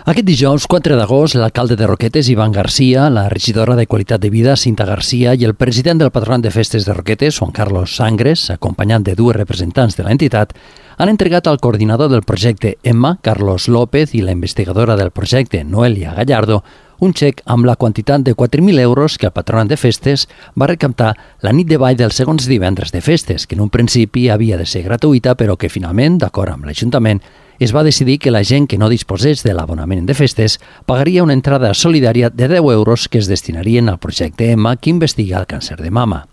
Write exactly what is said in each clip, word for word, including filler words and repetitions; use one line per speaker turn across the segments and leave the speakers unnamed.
Aquest dijous, quatre d'agost, l'alcalde de Roquetes, Ivan Garcia, la regidora de Qualitat de Vida, Cinta Garcia, i el president del Patronat de Festes de Roquetes, Juan Carlos Sangres, acompanyant de dues representants de l'entitat, han entregat al coordinador del projecte Emma, Carlos López, i la investigadora del projecte, Noelia Gallardo, un xec amb la quantitat de quatre mil euros que el Patronat de Festes va recaptar la nit de ball dels segons divendres de festes, que en un principi havia de ser gratuïta, però que finalment, d'acord amb l'Ajuntament, es va decidir que la gent que no disposés de l'abonament de festes pagaria una entrada solidària de deu euros que es destinarien al projecte Emma, que investiga el càncer de mama.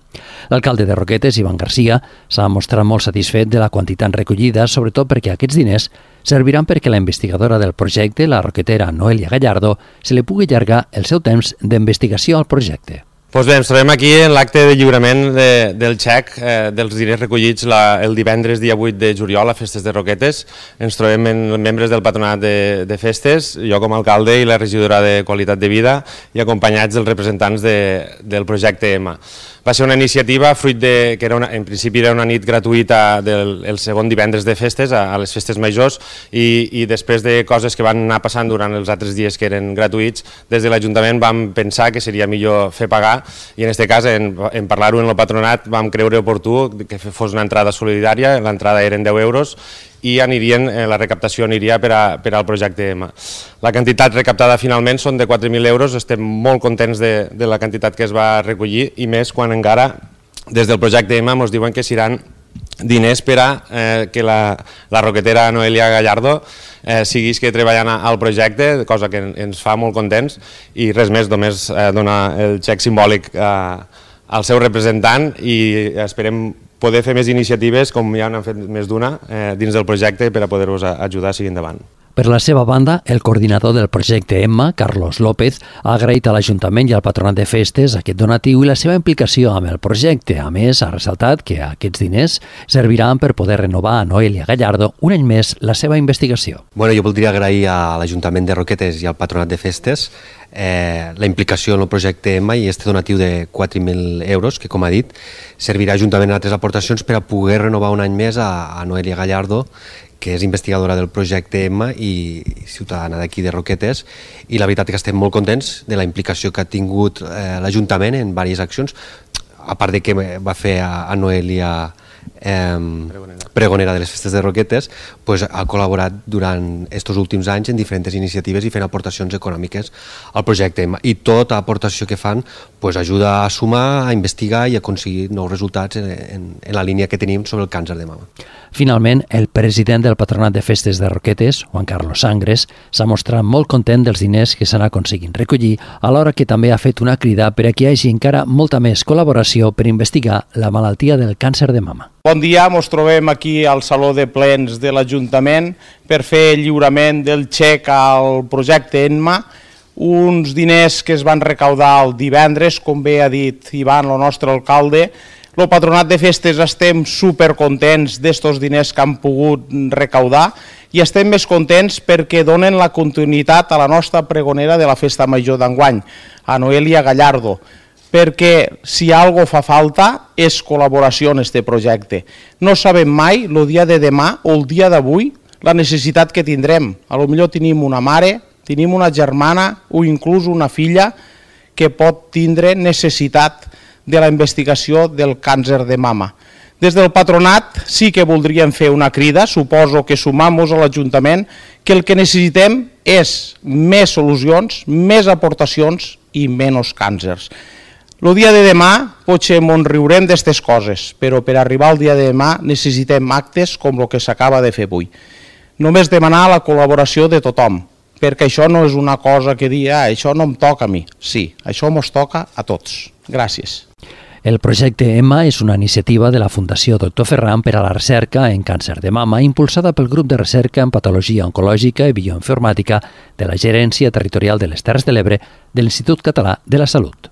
L'alcalde de Roquetes, Ivan Garcia, s'ha mostrat molt satisfet de la quantitat recollida, sobretot perquè aquests diners serviran perquè la investigadora del projecte, la roquetera Noelia Gallardo, se li pugui allargar el seu temps d'investigació al projecte.
Doncs bé, ens trobem aquí en l'acte de lliurament de, del xec eh, dels diners recollits la, el divendres dia vuit de juliol a Festes de Roquetes. Ens trobem en membres del Patronat de, de Festes, jo com a alcalde i la regidora de Qualitat de Vida, i acompanyats dels representants de, del projecte Emma. Va ser una iniciativa fruit de que era una, en principi era una nit gratuïta del el segon divendres de festes, a, a les festes majors, i, i després de coses que van anar passant durant els altres dies que eren gratuïts, des de l'Ajuntament vam pensar que seria millor fer pagar, i en aquest cas, en, en parlar-ho en el patronat, vam creure oportú que fos una entrada solidària. L'entrada eren deu euros, i anirien, la recaptació aniria per, a, per al projecte Emma. La quantitat recaptada finalment són de quatre mil euros, estem molt contents de, de la quantitat que es va recollir, i més quan encara des del projecte Emma ens diuen que seran diners per a eh, que la, la roquetera Noelia Gallardo eh, siguis que treballant al projecte, cosa que ens fa molt contents, i res més, només eh, donar el xec simbòlic eh, al seu representant, i esperem poder fer més iniciatives, com ja n'han fet més d'una, eh, dins del projecte per a poder-vos ajudar a seguir endavant.
Per la seva banda, el coordinador del projecte Emma, Carlos López, ha agraït a l'Ajuntament i al Patronat de Festes aquest donatiu i la seva implicació amb el projecte. A més, ha ressaltat que aquests diners serviran per poder renovar a Noelia Gallardo un any més la seva investigació.
Bueno, jo voldria agrair a l'Ajuntament de Roquetes i al Patronat de Festes eh, la implicació en el projecte Emma i este donatiu de quatre mil euros, que, com ha dit, servirà juntament a altres aportacions per a poder renovar un any més a, a Noelia Gallardo, que és investigadora del projecte Emma i ciutadana d'aquí de Roquetes, i la veritat és que estem molt contents de la implicació que ha tingut eh, l'Ajuntament en diverses accions, a part de que va fer a, a Noelia eh, pregonera. pregonera de les Festes de Roquetes, pues, ha col·laborat durant aquests últims anys en diferents iniciatives i fent aportacions econòmiques al projecte Emma, i tota aportació que fan pues, ajuda a sumar, a investigar i a aconseguir nous resultats en, en, en la línia que tenim sobre el càncer de mama.
Finalment, el president del Patronat de Festes de Roquetes, Juan Carlos Sangres, s'ha mostrat molt content dels diners que s'han aconseguit recollir, alhora que també ha fet una crida per a que hi hagi encara molta més col·laboració per investigar la malaltia del càncer de mama.
Bon dia, ens trobem aquí al Saló de Plens de l'Ajuntament per fer el lliurament del xec al projecte Emma, uns diners que es van recaudar el divendres, com bé ha dit Ivan, el nostre alcalde. El Patronat de Festes estem supercontents d'estos diners que han pogut recaudar, i estem més contents perquè donen la continuïtat a la nostra pregonera de la Festa Major d'enguany, a Noelia Gallardo, perquè si algo fa falta és col·laboració en aquest projecte. No sabem mai, el dia de demà o el dia d'avui, la necessitat que tindrem. A lo millor tenim una mare, tenim una germana o inclús una filla que pot tindre necessitat de la investigació del càncer de mama. Des del patronat sí que voldríem fer una crida, suposo que sumam-nos a l'Ajuntament, que el que necessitem és més solucions, més aportacions i menys càncers. El dia de demà potser ens riurem d'aquestes coses, però per arribar al dia de demà necessitem actes com el que s'acaba de fer avui. Només demanar la col·laboració de tothom, perquè això no és una cosa que dir, ah, això no em toca a mi. Sí, això ens toca a tots. Gràcies.
El projecte Emma és una iniciativa de la Fundació Doctor Ferran per a la recerca en càncer de mama, impulsada pel grup de recerca en patologia oncològica i bioinformàtica de la Gerència Territorial de les Terres de l'Ebre de l'Institut Català de la Salut.